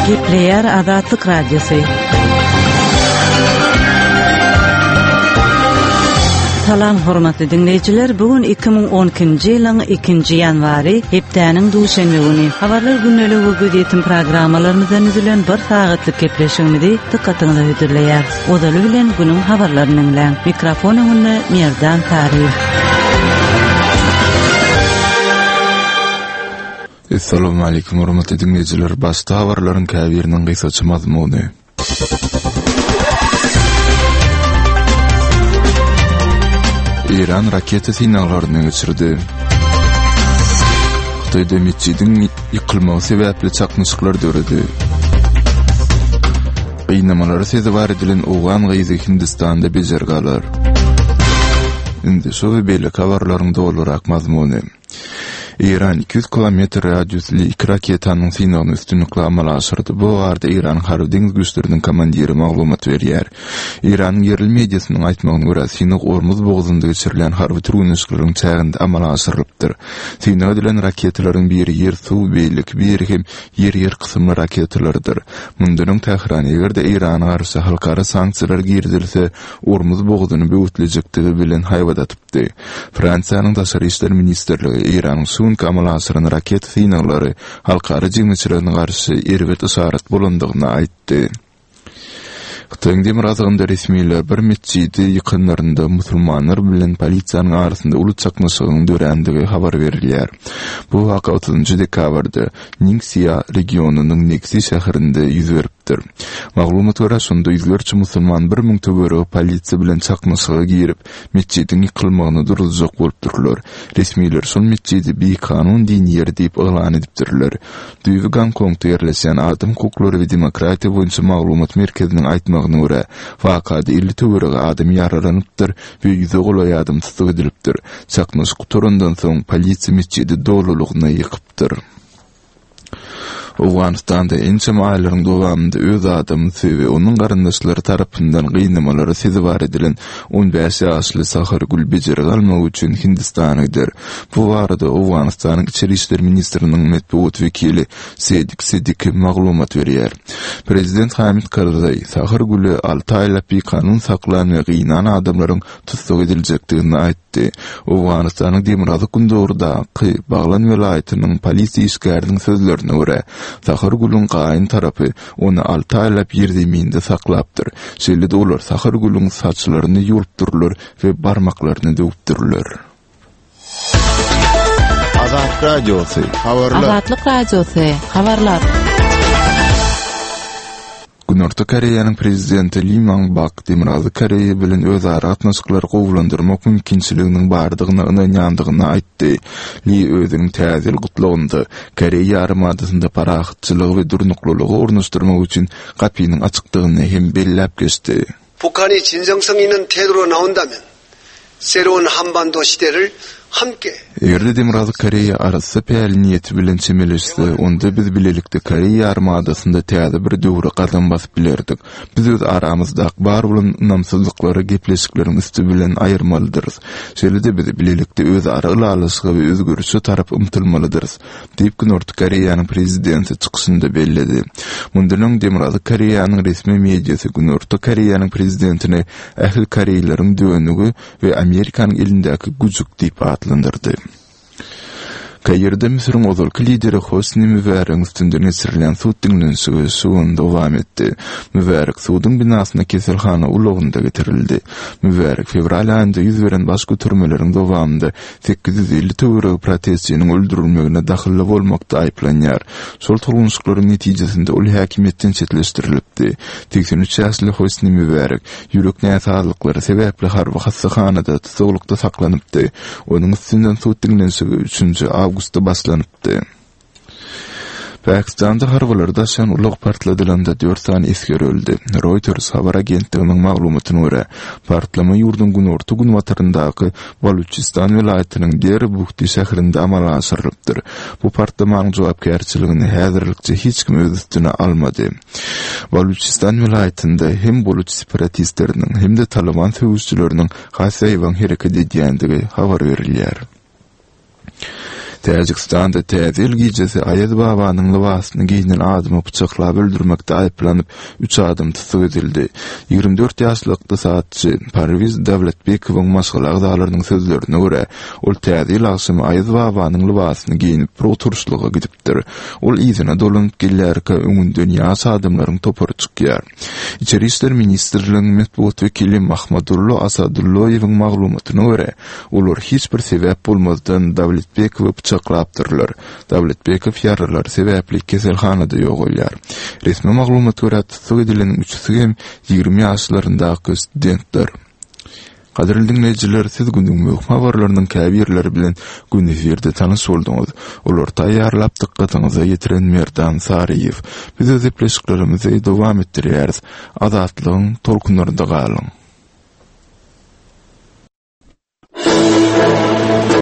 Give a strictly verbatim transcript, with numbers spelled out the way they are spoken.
Gepleýär Azatlyk Radiosy. Salam hormatly diňleýjiler. Bu gün iki müň on ikinji ýylyň ikinji ýanwary, hepdäniň duşenbe güni. Habarlar gündeligi we gözýetim programmalarymyzdan düzülen bir sagatlyk gepleşigimizi dykgatyňyza hödürleýär. Ozaly bilen günüň habarlaryny diňläň. Mikrofon öňünde Merdan Taryh. Assalamu alaykum hormatly dinleýjiler. Başda habarlaryň käbiriniň gysgaça mazmuny. Iran raketa synaglaryny geçirdi. Hytaýda metjidiň ýykylmagy sebäpli çaknyşyklar döredi. Gynamalara sezewar edilen owgan gyzy Hindistanda bejergi alar. Indi şu we beýleki habarlaryň dolurak mazmuny. Iran iki ýüz kilometr radiusly iki raketanyň synagyny üstünlikli amala aşyrdy. Bu barada Iran Harby deňiz güýçleriniň komandiri maglumat berýär. Iranyň ýerli mediasynyň aýtmagyna görä, synag Ormuz bogazynda geçirilen harby türgenleşikleriň çäginde amala aşyrylypdyr. Synag edilen raketalaryň biri ýer-suw, beýleki biri hem ýer-ýer kysymly raketalarydyr. Mundan öň Tähran eger-de Irana garşy halkara sanksiýalar girizilse, Ormuz bogazyny böwütlejekdigi bilen haýbat atypdy. Fransiýanyň Daşary işler ministrligi Iranyň şu günki amala aşyran raketa synaglary halkara jemgyýetçiligine garşy erbet yşarat bolandygyny aýtdy. Hytaýyň demirgazygynda resmiler bir metjidi ýykanlarynda musulmanlar bilen polisiýanyň arasynda uly çaknyşygyň dörändigi habar berilýär. Bu waka otuzynjy dekabrda Ningxia regionynyň Nexi şäherinde ýüz beripdir. Maglumat görä, şonda ýüzlerçe musulman bir müň töweregi polisiýa bilen çaknyşyga girip, metjidiň ýykylmagyny duruzjak bolupdyrlar. Resmiler şol metjidi bikanun dini ýer diýip yglan edipdirler. Düýbi Gonkongda ýerleşýän adam hukuklary we demokratiýa boýunça maglumat merkeziniň aýtmagyna görä, wakada elli töweregi adam ýaralanypdyr we ýüze golaý adam tussag edilipdir. Çaknyşyk gutarandan soň polisiýa metjidi dolulygyna ýykypdyr. Owganystanda ençeme aýlaryň dowamynda öz adamysy we onuň garyndaşlary tarapyndan gynamalara sezewar edilen on bäş ýaşly Sahar Gül bejergi almak üçin Hindistana gider. Bu barada Owganystanyň Içeri işler ministriniň metbugat wekili Sedik Sediki maglumat berýär. Prezident Hamid Karzaý Sahar Güli alty aýlap bikanun saklan we gynan adamlaryň tussag ediljekdigini aýtdy. Owganystanyň demirgazyk gündogrudaky Baglan welaýatynyň polisiýa işgäriniň sözlerine görä, Sahar Gülüň gaýyn tarapy ony alty aýlap ýerzeminde saklapdyr. Şeýle-de olar Sahar Gülüň saçlaryny ýulupdyrlar we barmaklaryny döwüpdirler. Azatlyk Radiosy, habarlar. Azatlyk Radiosy, habarlar. Günorta Koreýanyň prezidenti Lee Myung-bak Demirgazyk Koreýa bilen özara gatnaşyklary gowulandyrmak mümkinçiliginiň bardygyna ynanýandygyny aýtdy. Lee özüniň täze ýyl gutlagynda Koreýa ýarymadasynda parahatçylygy we durnuklylygy ornaşdyrmak üçin gapynyň açykdygyny hem belläp geçdi. 북한이 진정성 있는 태도로 나온다면 새로운 한반도 시대를 함께 Eger-de Demirgazyk Koreýa arassa päli niýeti bilen çemeleşse, onda biz bilelikde Koreýa ýarymadasynda täze bir döwre gadam basyp bilerdik. Biz öz aramyzdaky bar bolan ynamsyzlyklary gepleşikleriň üsti bilen aýyrmalydyrys. Şeýle-de biz bilelikde öz ara ylalaşyga we özgerişe tarap ymtylmalydyrys, diýip Günorta Koreýanyň prezidenti çykyşynda belledi. Mundan öň Demirgazyk Koreýanyň resmi mediasy Günorta Koreýanyň prezidentini ähli koreýleriň dönügi we Amerikanyň elindäki güjük diýip atlandyrdy. Kaýirde Müsüriň ozalky lideri Hosni Mübäregiň üstünden geçirilen sud diňlenişigi şu gün dowam etdi. Mübärek suduň binasyna keselhana ulagynda getirildi. Mübärek fewral aýynda ýüz beren baş götermeleriň dowamynda sekiz ýüz elli töweregi protestçiniň öldürilmegine dahylly bolmakda aýyplanýar. Şol tolgunşyklaryň netijesinde ol häkimiýetden çetleşdirilipdi. Seksen üç ýaşly Hosni Mübärek ýürek näsazlyklary sebäpli harby hassahanada tutsaglykda saklanypdy. Onuň üstünden sud diňlenişigi üçünji awgustda başlanypdy. Pakistanda harbylar daşan ulag partladylanda dört sany esger öldü. Reuters habar agentliginiň maglumatyna görä, partlama ýurduň günorta günbataryndaky Baluçistan welaýatynyň Dera Bugti şäherinde amala aşyrylypdyr. Bu partlamanyň jogapkärçiligini häzirlikçe hiç kim öz üstüne almady. Baluçistan welaýatynda hem Baluç separatistleriniň hem-de Taliban söweşçileriniň has ýaýbaň hereket edýändigi habar berilýär. Täjigistanda Täze ýyl gijesi Aýaz babanyň lybasyny geýnen adamy pyçaklap öldürmekde aýyplanyp, üç adam tussag edildi. Ýigrimi dört ýaşly ykdysatçy Parwiz Dawletbekowyň maşgala agzalarynyň sözlerine görä, ol Täze ýyl agşamy Aýaz babanyň lybasyny geýnip bir oturyşlyga gidipdir. Ol yzyna dolanyp gelýärkä öňünden ýaş adamlaryň topary çykýar. Içeri işler ministrliginiň metbugat wekili Mahmadullo Asadulloýewiň maglumatyna görä, olar hiç bir sebäp bolmazdan Dawletbekowy pyçaklapdyrlar. Dawletbekow ýaralary sebäpli keselhanada ýogalýar. Resmi maglumata görä, tussag edileniň üçüsi hem ýigrimi ýaşlaryndaky studentler. Gadyrly diňleýjiler, siz günüň möhüm habarlarynyň käbirleri bilen gün efirde tanyş bolduňyz. Olary taýýarlap dykgatyňyza ýetiren Merdan Saryýew. Biz öz gepleşiklerimizi dowam etdirýäris. Azatlygyň tolkunlarynda galyň.